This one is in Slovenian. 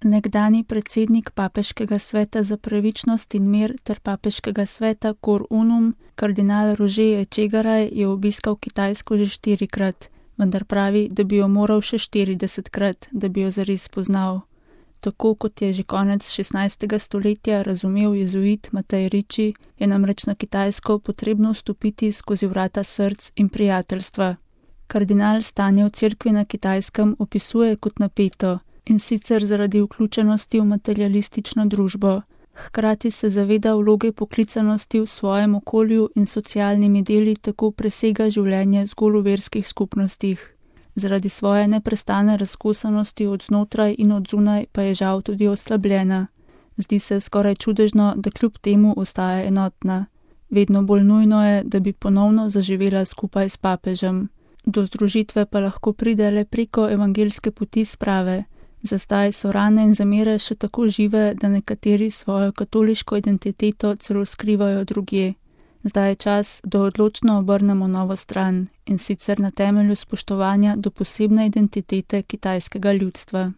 Nekdanji predsednik Papeškega sveta za pravičnost in mir ter Papeškega sveta Cor Unum, kardinal Roger Etchegaray, je obiskal Kitajsko že 4-krat, vendar pravi, da bi jo moral še 40-krat, da bi jo zares poznal. Tako kot je že konec 16. stoletja razumel jezuit Matej Ricci, je namreč na Kitajsko potrebno vstopiti skozi vrata src in prijateljstva. Kardinal stanje v cerkvi na Kitajskem opisuje kot napeto, in sicer zaradi vključenosti v materialistično družbo. Hkrati se zaveda vloge poklicanosti v svojem okolju in socialnimi deli tako presega življenje zgolj v verskih skupnostih. Zaradi svoje neprestane razkosanosti od znotraj in od zunaj pa je žal tudi oslabljena. Zdi se skoraj čudežno, da kljub temu ostaja enotna. Vedno bolj nujno je, da bi ponovno zaživela skupaj s papežem. Do združitve pa lahko pride le preko evangeljske poti sprave. Za zdaj so rane in zamere še tako žive, da nekateri svojo katoliško identiteto celo skrivajo drugje. Zdaj je čas, da odločno obrnemo novo stran, in sicer na temelju spoštovanja do posebne identitete kitajskega ljudstva.